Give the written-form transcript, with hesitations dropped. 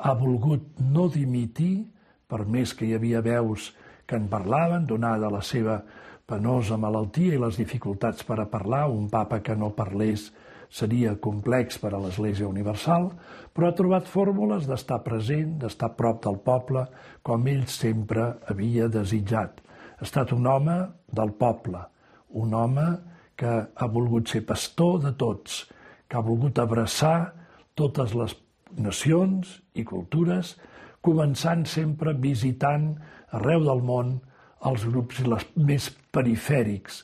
ha volgut no dimitir, per més que hi havia veus que en parlaven, donada la seva penosa malaltia i les dificultats per a parlar. Un papa que no parlés seria complex per a l'Església Universal, però ha trobat fórmules d'estar present, d'estar a prop del poble, com ell sempre havia desitjat. Ha estat un home del poble, un home que ha volgut ser pastor de tots, que ha volgut abraçar totes les nacions i cultures, començant sempre visitant arreu del món els grups més perifèrics